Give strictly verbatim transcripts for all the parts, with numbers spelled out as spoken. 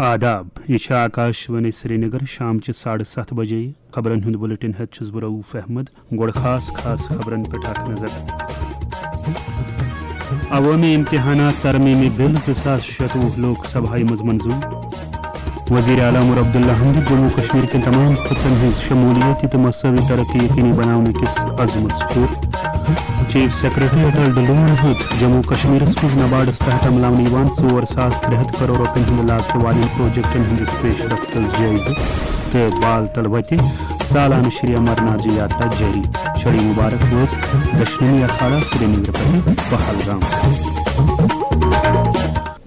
آداب، یہِ چھِ آکاش وانی سرینگر۔ شام چہِ ساڑٕ ستھ بجے خبرن ہُنٛد بُلٹن ہٮ۪تھ چھُس بہٕ رؤف احمد۔ گۄڈٕ خاص خاص خبرن پٮ۪ٹھ اکھ نظر۔ عوٲمی امتحانات ترمیمی بل زٕ ساس شتوُہ لوک سبھایہِ منٛز منظور۔ وزیر اعلیٰ عمر عبداللہ ہن دِژ جموں کشمیر کٮ۪ن تمام خطن ہٕنٛز شمولیت تہٕ مساوی ترقی یقینی بناونہٕ کِس عزمس پھیُر۔ چیف سیکرٹری اٹل ڈلون ہیوٚت جموں کشمیرس منٛز نباڈس تحت عملاونہٕ یِوان ژور ساس ترٛےٚ ہتھ کرور رۄپین ہٕنٛدِ لاگتہٕ والٮ۪ن پروجیکٹن ہٕنٛدِس پیش رفتس جٲیزٕ تہٕ بال تل وتہِ سالانہٕ شری امرناتھ جی یاترا جٲری۔ چھڑی مبارک وٲژ دشنمی اکھاڑا سرینگر پٮ۪ٹھٕ پہلگام۔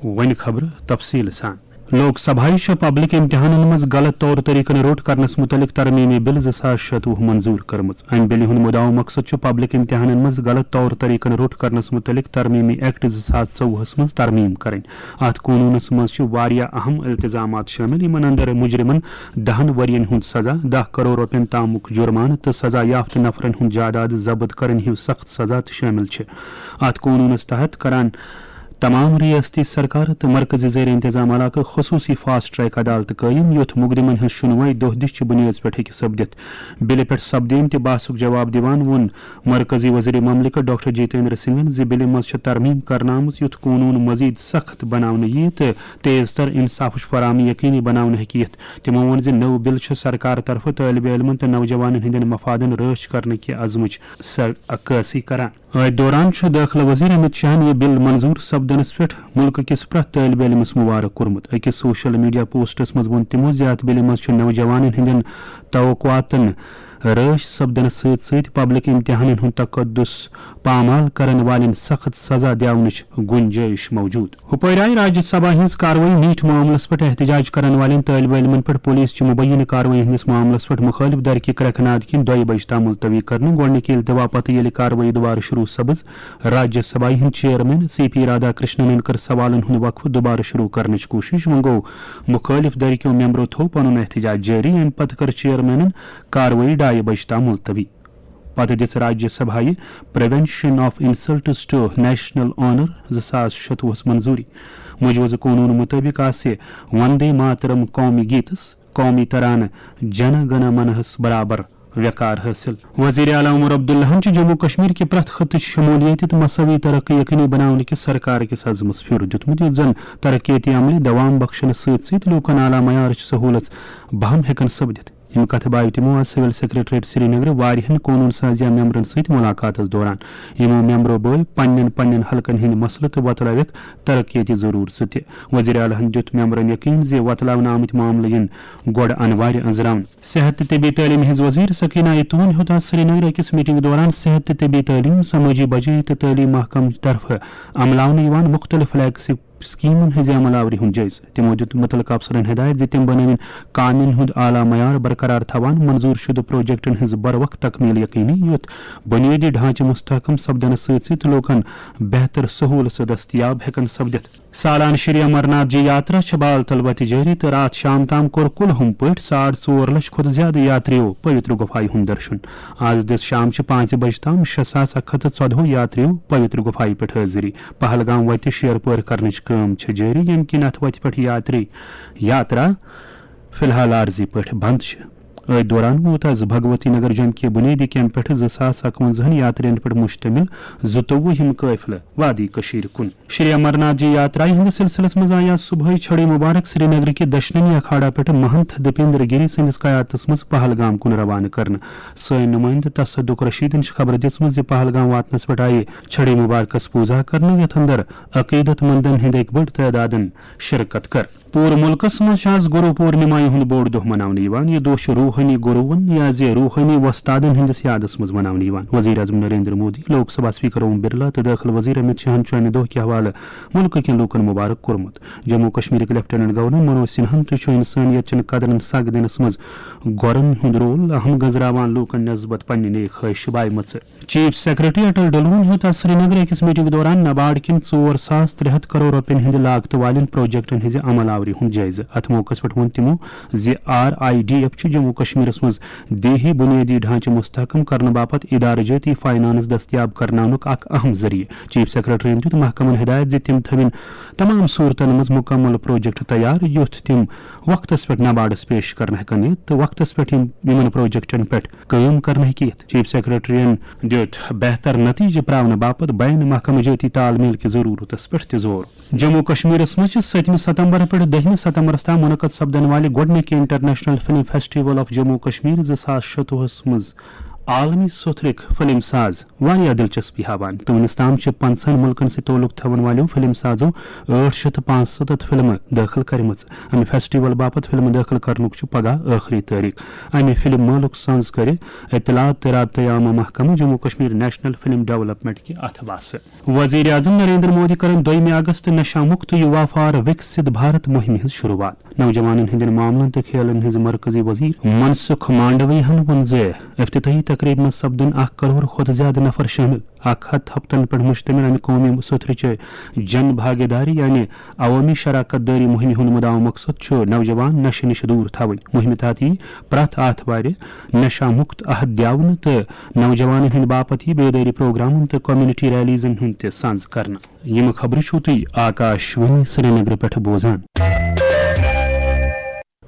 وۄنۍ خبرٕ تفصیٖل سان۔ لوک سبھایہِ چھُ پبلک امتحانن منٛز غلط طور طریقن روٚٹ کرنس مُتعلق ترمیمی بل زٕ ساس شتوُہ منظور کٔرمٕژ۔ امہِ بلہِ ہُنٛد مُدعا مقصد چھُ پبلک امتحانن منٛز غلط طور طریقن روٚٹ کرنس مُتعلق ترمیمی ایکٹ زٕ ساس ژوٚوُہس منٛز ترمیم کرٕنۍ۔ اتھ قونوٗنس منٛز چھِ واریاہ اہم التزامات شٲمِل، یِمن اندر مجرمن دہن ؤرین ہُنٛد سزا، دَہ کرور رۄپین تامُک جُرمانہٕ تہٕ سزا یافتہٕ نفرن ہُنٛد جائیداد ضبط کرٕنۍ ہیوٗ سخت سزا تہِ شٲمِل چھِ۔ اتھ قونوٗنس تحت کران تمام ریاستی سرکار تہٕ مرکزی زیر انتظام علاقہٕ خصوٗصی فاسٹ ٹریک عدالتہٕ قٲیِم، یوٚت مقدمن ہٕنٛز شُنوٲے دۄہ دِش چہِ بُنیٲدس پٮ۪ٹھ ہیٚکہِ سپدِتھ۔ بِلہِ پٮ۪ٹھ سپدیمتہِ بحثُک جواب دِوان ووٚن مرکزی وزیر مملکت ڈاکٹر جتیندر سنگھن زِ بِلہِ منٛز چھےٚ ترمیم کرنہٕ آمٕژ، یُتھ قونوٗن مزید سخت بناونہٕ ییہِ تہٕ تیز تر انصافٕچ فراہمی یقینی بناونہٕ ہیٚکہِ یِتھ۔ تِمو ووٚن زِ نٔو بِل چھِ سرکار طرفہٕ طٲلبہِ علمن تہٕ نوجوانن ہٕنٛدٮ۪ن مفادن رٲچھ کرنہٕ کہِ عزمٕچ سر-، عکٲسی کران۔ أتھۍ دوران چھُ دٲخلہٕ وزیر امت شاہن یہِ بل منظور سپدنس پٮ۪ٹھ مُلکہٕ کِس پرٛٮ۪تھ طٲلبہِ علمس مبارک کوٚرمُت۔ أکِس سوشل میڈیا پوسٹس منٛز ووٚن تِمو زِ اتھ بلہِ منٛز چھُ نوجوانن ہٕنٛدٮ۪ن توقعاتن رٲچھ سپدنس سۭتۍ سۭتۍ پبلک امتحانن ہُنٛد تقدس پامال کرن والٮ۪ن سخت سزا دِیاونٕچ گنجٲیش موجود۔ ہُپٲرۍ آیہِ راجیہ سبھا ہٕنٛز کاروٲیی میٖٹھۍ معاملس پٮ۪ٹھ احتجاج کرن والٮ۪ن طٲلبہِ علمن پٮ۪ٹھ پُلیٖس چہِ مُبینہٕ کاروٲیی ہٕنٛدِس معاملس پٮ۪ٹھ مُخٲلف درکہِ کرٛٮ۪کھ ناد کِنۍ دۄیہِ بجہِ تام مُلتوی کرنہٕ۔ گۄڈٕنِکہِ ییٚلہِ دِوہ پتہٕ ییٚلہِ کاروٲیی دُبارٕ شروٗع سپٕز، راجیہ سبھایہِ ہٕنٛدۍ چیئرمین سی پی رادھا کرشننن کٔر سوالن ہُنٛد وقفہٕ دُبارٕ شروٗع کرنٕچ کوٗشش۔ وۄنۍ گوٚو مُخٲلف درکیو ممبرو تھوٚو پنُن احتجاج جٲری۔ اَمہِ پتہٕ کٔر چیئرمینن کاروٲیی ڈایہِ بجہِ تام مُلتوی۔ پتہٕ دِژ راجیہ سبھایہِ prevention of insults to national honour زٕ ساس شتوُہس منظوٗری۔ مجوزٕ قونوٗن مُطٲبِق آسہِ وندے ماترم قومی گیتس، قومی ترانہٕ جن گن منہس برابر وقار حٲصِل۔ وزیر اعلیٰ عمر عبداللہن چھِ جموں کشمیر کہِ پرٛٮ۪تھ خطٕچ شمولیت تہٕ مساوی ترقی یقینی بناونہٕ کِس سرکار کِس عزمس پھیُر دیُتمُت، یُتھ زن ترقیتی عملہِ دوام بخشنس سۭتۍ سۭتۍ لوٗکن اعلیٰ معیارٕچ سہوٗلژ بہم ہٮ۪کن سپدِتھ۔ یِم کتھٕ باوِ تِمو آز سول سیکرٹریٹ سرینگرٕ واریاہن قونوٗن سازیہ ممبرن سۭتۍ ملاقاتس دوران۔ یِمو ممبرو بٲوۍ پننٮ۪ن پننٮ۪ن حلقن ہٕنٛدۍ مسلہٕ تہٕ وۄتلٲوِکھ ترقیتی ضروٗرژٕ تہِ۔ وزیر اعلیٰ ہن دیُت ممبرن یقین زِ وۄتلاونہٕ آمٕتۍ معاملہٕ یِن گۄڈٕ انوارِ أنٛزراونہٕ۔ صحت تہٕ طبی تعلیٖم ہٕنٛز وزیر سکینہ ایتون ہیوٚت آز سرینگرٕ أکِس میٹنگ دوران صحت تہٕ طبی تعلیٖم، سمٲجی بجٲیی تہٕ تعلیٖم محکمہٕ طرفہٕ عملاونہٕ یِوان مُختٔلِف فلیگشپ سکیمن ہٕنٛزِ عمل آوری ہُنٛد جٲیزٕ۔ تِمو دیُت مُتعلقہٕ افسرن ہدایت زِ تِم بنٲوِن کامٮ۪ن ہُنٛد اعلیٰ معیار برقرار تھاوان، منظور شدٕ پروجیکٹن ہٕنٛز بروقت تکمیل یقینی، یُتھ بنیٲدی ڈھانچہٕ مستحکم سپدنس سۭتۍ سۭتۍ لوٗکن بہتر سہوٗلژٕ دستیاب ہٮ۪کن سپدِتھ۔ سالانہٕ شری امرناتھ جی یاترا چھےٚ بال تل وتہِ جٲری تہٕ راتھ شام تام کوٚر کُل ہُم پٲٹھۍ ساڑ ژور لچھ کھۄتہٕ زیادٕ یاتریو پویتر گُفایہِ ہُنٛد درشُن۔ آز دِژ شام چہِ پانٛژِ بجہِ تام شےٚ ساس اکھ ہتھ تہٕ ژۄدہو یاتریو پویتر گُفایہِ پٮ۪ٹھ حٲضری۔ پہلگام وتہِ شیر پٲر کرنٕچ کٲم چھےٚ جٲری، ییٚمہِ کِنۍ اتھ وتہِ پٮ۪ٹھ یاتری یاترا فی الحال عارضی پٲٹھۍ بند چھِ۔ أتھۍ دوران ووت از بھگوتی نگر جوٚمہِ کہِ بُنیٲدی کیمپ پٮ۪ٹھٕ زٕ ساس اکوَنزاہن یاترین پٮ۪ٹھ مشتمل زٕتووُہ ہِم قٲفلہٕ وادی کٔشیٖرِ کُن۔ شری امرناتھ جی یاترایہِ ہٕنٛدِس سلسلس منٛز آیہِ از صبحٲے چھڑی مبارک سرینگرٕ کہِ دشنمی اکھاڑا پٮ۪ٹھٕ مہنتھ دیپیندر گیری سٕنٛدِس قیادتس منٛز پہلگام کُن روانہٕ کرنہٕ۔ سٲنۍ نُمٲیندٕ تصدق رشیدن چھِ خبر دِژمٕژ زِ پہلگام واتنس پٮ۪ٹھ آیہِ چھڑی مبارکس پوٗزا کرنہٕ، یتھ اندر عقیدت مندن ہٕنٛدۍ اکہِ بٔڑ تعدادن شرکت کٔر۔ پوٗرٕ مُلکَس منٛز چھُ آز گُرو پوٗرنِما ہُنٛد بوٚڑ دۄہ مناونہٕ یِوان۔ یہِ دۄہ چھُ روحٲنی گُروَن یا زِ روحٲنی وۄستادَن ہٕنٛدِس یادَس منٛز مناونہٕ یِوان۔ وزیر اعظم نریندر مودی، لوک سبھا اسپیکر اوم برلا تہٕ دٲخلہٕ وزیر امت شاہَن چھُ اَمہِ دۄہ کہِ حوالہٕ مُلکہٕ کٮ۪ن لوٗکَن مُبارک کوٚرمُت۔ جموں و کشمیرٕکۍ لیفٹیننٹ گورنر منوج سنہاہَن تہِ چھُ انسٲنیت چٮ۪ن قدرَن سَگ دِنَس منٛز گۄرَن ہُنٛد رول اہم گٔنٛزراوان لوٗکَن نسبت پننہِ نیک خواہش بایمژٕ۔ چیف سیکرٹری اٹل ڈلون ہیوٚت آز سرینگرٕ أکِس میٹنگ دوران نباڈ کٮ۪ن ژور ساس ترٛےٚ ہتھ کرور رۄپین ہٕنٛدِ لاگتہٕ والٮ۪ن پروجیکٹن ہٕنٛزِ عمل آوری ہُنٛد جٲیزٕ۔ اتھ موقعس پٮ۪ٹھ ووٚن تِمو زِ آر آئی ڈی ایف چھُ جموں کشمیرس منٛز دیہی بنیٲدی ڈھانچہٕ مستحکم کرنہٕ باپتھ ادارٕ جٲتی فاینانس دٔستیاب کرناونُک اکھ اہم ذٔریعہٕ۔ چیف سیکرٹریَن دیُت محکمن ہدایت زِ تِم تھٲوِن تمام صورتن منٛز مکمل پروجیکٹ تیار، یُتھ تِم وقتس پٮ۪ٹھ نباڈس پیش کرنہٕ ہٮ۪کن یِتھ تہٕ وقتس پٮ۪ٹھ یِم، یِمن پروجیکٹن پٮ۪ٹھ کٲم کرنہٕ ہٮ۪کہِ یِتھ۔ چیف سیکرٹریَن دیُت بہتر نتیجہٕ پراونہٕ باپتھ بین محکمہٕ جٲتی تال میل کہِ ضرورتس پٮ۪ٹھ تہِ زور۔ جموں و کشمیرس منٛز چھِ ستمہِ ستمبر پٮ۪ٹھ دٔہمہِ ستمبرس تام منعقد سپدن والہِ گۄڈٕنِکہِ international film festival of Jammu و کشمیر زٕ ساس شتوُہس منٛز عالمی سوتھرٕکۍ فلم ساز واریاہ دلچسپی ہاوان۔ تہٕ وُنیُس تام چھِ پنٛژاہن مُلکن سۭتۍ تعلق تھاون والیو فلم سازو ٲٹھ شیٚتھ تہٕ پانٛژستتھ فلمہٕ دٲخل کرِمژٕ۔ امہِ فیسٹیول باپتھ فلمہٕ دٲخل کرنُک چھُ پگاہ ٲخری تٲریخ۔ امہِ فلم مٲلُک سنز کرِ اطلاعات تہٕ رابطہ عامہ محکمہٕ جموں و کشمیر نیشنل فلم ڈیولپمنٹ کہِ اتھہٕ باسہٕ۔ وزیر اعظم نریندر مودی کرن دویمہِ اگست نشہ مکت یوا فار وکست بھارت مہمہِ ہٕنٛز شروعات۔ نوجوانن ہٕنٛدٮ۪ن معاملن تہٕ کھیلن ہٕنٛز مرکزی وزیر منسکھ مانڈویہن ووٚن زِ افتتاحی تقریبہِ منٛز سپدن اکھ کرور کھۄتہٕ زیادٕ نفر شٲمِل۔ اکھ ہتھ ہفتن پٮ۪ٹھ مشتمل امہِ قومی سوٚتھرٕچہِ جن بھاگیداری یعنی عوامی شراکت دٲری مہمہِ ہُنٛد مُدعا مقصد چھُ نوجوان نشہٕ نِش دوٗر تھاوٕنۍ۔ مہمہِ تحت یِیہِ پرٛٮ۪تھ آتھوارِ نشہ مکت عہد دِیاونہٕ تہٕ نوجوانن ہٕنٛدِ باپتھ یِیہِ بیدٲری پروگرامن تہٕ کمیونٹی ریلیزن ہُنٛد تہِ سنز کرنہٕ۔ یِم خبرٕ چھِو تُہۍ آکاش وانی سرینگرٕ پٮ۪ٹھ بوزان۔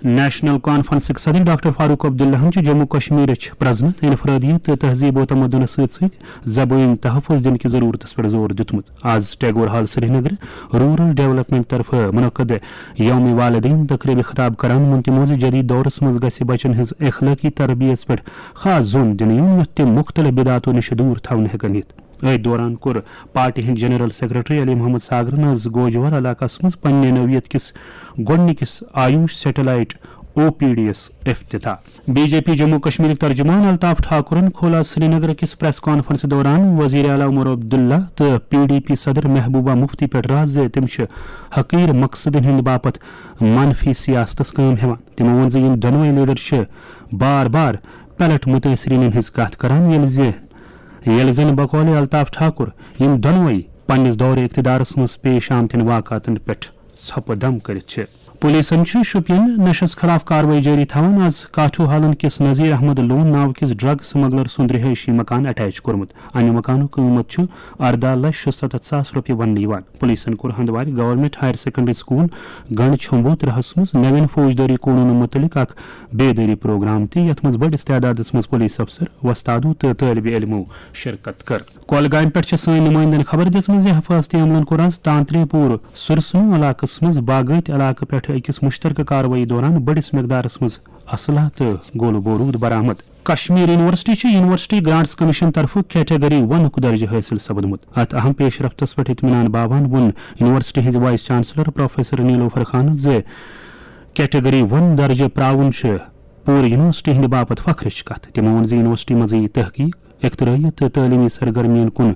نیشنل کانفرنسٕکۍ صدر ڈاکٹر فاروق عبداللہن چھُ جموں کشمیرٕچ پرزنت، انفرادیت تہٕ تہذیب و تمدنس سۭتۍ سۭتۍ زبٲنۍ تحفظ دِنہٕ کہِ ضرورتس پٮ۪ٹھ زور دیُتمُت۔ آز ٹیگور ہال سرینگرٕ رورل ڈیولپمنٹ طرفہٕ منعقد یوم والدین تقریبہِ خطاب کران ووٚن تِمو زِ جدید دورس منٛز گژھِ بچن ہٕنٛز اخلٲقی تربیت پٮ۪ٹھ خاص زوٚن دِنہٕ یُن، یُتھ تِم مُختٔلِف بدعتو نِش دوٗر تھاونہٕ ہٮ۪کن یِتھ۔ أتھۍ دوران کوٚر پارٹی ہٕنٛدۍ جنرل سیکرٹری علی محمد ساگرن آز گوجور علاقس منٛز پننہِ نوعیت کِس گۄڈٕنِکِس آیوش سیٹلائٹ او پی ڈی یس افتتاح۔ بی جے پی جموں کشمیرٕکۍ ترجمان الطاف ٹھاکرن کھول آز سرینگر کِس پریس کانفرنس دوران وزیر اعلیٰ عمر عبداللہ تہٕ پی ڈی پی صدر محبوبہ مفتی پٮ۪ٹھ راز زِ تِم چھِ حقیر مقصدن ہٕنٛدِ باپتھ منفی سیاستس کٲم ہٮ۪وان۔ تِمو ووٚن زِ یِم دۄنوَے لیڈر چھِ بار بار پلٹ متٲثریٖنن ہٕنٛز کتھ کران، ییٚلہِ زِ، ییٚلہِ زن بقول الطاف ٹھاکر یِم دۄنوَے پننِس دورِ اقتدارس منٛز پیش آمتٮ۪ن واقعاتن پٮ۪ٹھ ژھۄپہٕ دم کٔرِتھ چھِ۔ پولیسن چھِ شوپین نشس خلاف کاروٲیی جٲری تھاوان۔ آز کاٹھو حالن کِس نذیر احمد لون ناو کِس ڈرگ سمگلر سُنٛد رہٲیشی مکان اٹیچ کوٚرمُت۔ امہِ مکانُک قۭمتھ چھُ ارداہ لچھ شُستتھ ساس رۄپیہِ وننہٕ یِوان۔ پولیسن کوٚر Handwara government higher secondary school گنڈ چھمبو ترہس منٛز نوین فوجدٲری قونوٗنن مُتعلق اکھ بیدٲری پروگرام تہِ، یتھ منٛز بٔڑِس تعدادس منٛز پولیس افسر، وۄستادو تہٕ طٲلبِ علمو شرکت کٔر۔ کۄلگامہِ پٮ۪ٹھ چھےٚ سٲنۍ نُمٲیندن خبر دِژمٕژ زِ حفاظتی عملن کوٚر آز تانترے پوٗر سُرسنو علاقس منٛز باغٲتۍ علاقہٕ پٮ۪ٹھ أکِس مُشترکہٕ کاروٲیی دوران بٔڑِس مقدارس منٛز اسلحہ تہٕ گولہٕ بوروٗد برآمد۔ کشمیر یونیورسٹی چھِ یونیورسٹی گرانٹس کمیشن طرفہٕ کیٹیگری ونُک درجہٕ حٲصِل سپدمُت۔ اتھ اہم پیش رفتس پٮ۪ٹھ اطمینان باوان ووٚن یونیورسٹی ہٕنٛزِ وائس چانسلر پروفیسر نیلوفر خانن زِ کیٹیگری ون درجہٕ پراوُن چھُ پوٗرٕ یونیورسٹی ہٕنٛدِ باپتھ فخرٕچ کتھ۔ تِمو ووٚن زِ یونیورسٹی منٛز یِیہِ تحقیق، اختراعیت تہٕ تعلیمی سرگرمین کُن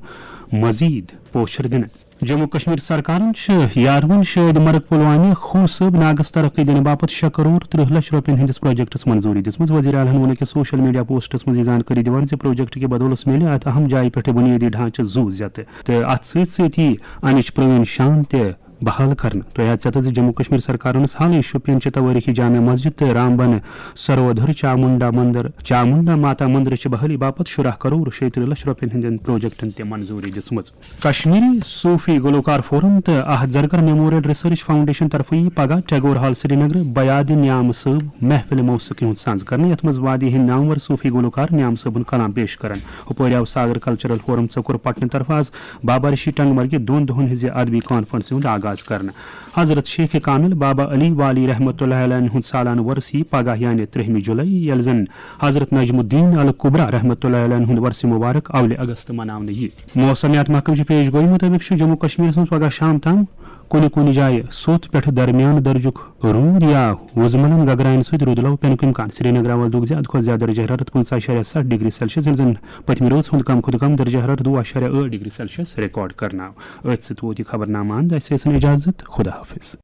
مزید پوچھر دِنہٕ۔ جموں کشمیر سرکارن چھِ یاروُن شٲہد مرگ پلوامہ خوٗن صٲب ناگس ترقی دِنہٕ باپتھ شےٚ کرور ترٕہ لچھ رۄپین ہٕنٛدِس پروجیکٹس منظوٗری دِژمٕژ۔ وزیر اعلیٰ ہن ووٚن أکِس سوشل میڈیا پوسٹس منٛز یہِ زانکٲری دِوان زِ پروجیکٹ کہِ بدولس میلہِ اتھ اہم جایہِ پٮ۪ٹھ بُنیٲدی ڈھانچہٕ زُو زیتہٕ تہٕ اتھ سۭتۍ سۭتۍ یِیہِ امِچ پرٲنۍ شان تہِ بحال کرنہٕ۔ تۄہہِ آسہِ پتہ زِ جموں کشمیر سرکارن ٲس حالٕے شوپین چہِ توٲریخی جامع مسجد تہٕ رامبن سرودھر چامنڈا مندر، چامنڈا ماتا مندرٕچہِ بحالی باپتھ شُراہ کرور شیٚیہِ ترٕہ لچھ رۄپین ہٕنٛدٮ۪ن پروجیکٹن تہِ منظوٗری دِژمٕژ۔ کشمیری صوفی گلوکار فورم تہٕ احد زرگر میموریل ریسرچ فاؤنڈیشن طرفہٕ یِیہِ پگاہ ٹیگور ہال سرینگر بیاد نیام صٲب محفل موسیقی ہُنٛد سنز کرنہٕ، یتھ منٛز وادی ہٕنٛدۍ نامور صوفی گلوکار نیام صٲبُن کلام پیش کرن۔ ہُپٲرۍ آو ساگر کلچرل فورم ژۄکُر پٹنہٕ طرفہٕ آز بابا رشی ٹنگ مرگہِ دۄن دۄہن ہٕنٛزِ ادبی کانفرنسہِ ہُنٛد آغاز کرنہٕ۔ حضرت شیخ کامل بابا علی والی رحمۃ اللہ علیہ ہُنٛد سالانہٕ وۄرُس یِیہِ پگاہ یعنی ترٛہمہِ جولائی، ییٚلہِ زن حضرت نجم الدین الکبریٰ رحمۃ اللہ علیہ ہُنٛد وۄرثِ مبارک اولِ اگست مناونہٕ یِیہِ۔ موسمیات محکمہٕ چہِ پیش گویی مُطٲبِق چھُ جموں کشمیرس منٛز پگاہ شام تام کُنہِ کُنہِ جایہِ سوٚت پٮ۪ٹھٕ درمیان درجُک روٗد یا وُزملن گگراین سۭتۍ روٗدٕ لو پینُک امکان۔ سرینگرٕ آواز لوٚگ زیادٕ کھۄتہٕ زیادٕ درجہ حرارت پٕنٛژٕہ اعشاریہ ستھ ڈگری سیلسیس، ییٚلہِ زن پٔتمہِ رٲژ ہُنٛد کم کھۄتہٕ کم درجہ حرارت وُہ اعشاریہ ٲٹھ ڈگری سیلسیس ریکارڈ کرنہٕ آو۔ أتھۍ سۭتۍ ووت یہِ خبرنامہٕ اند۔ اسہِ ٲسِن اجازت۔ خدا حافظ۔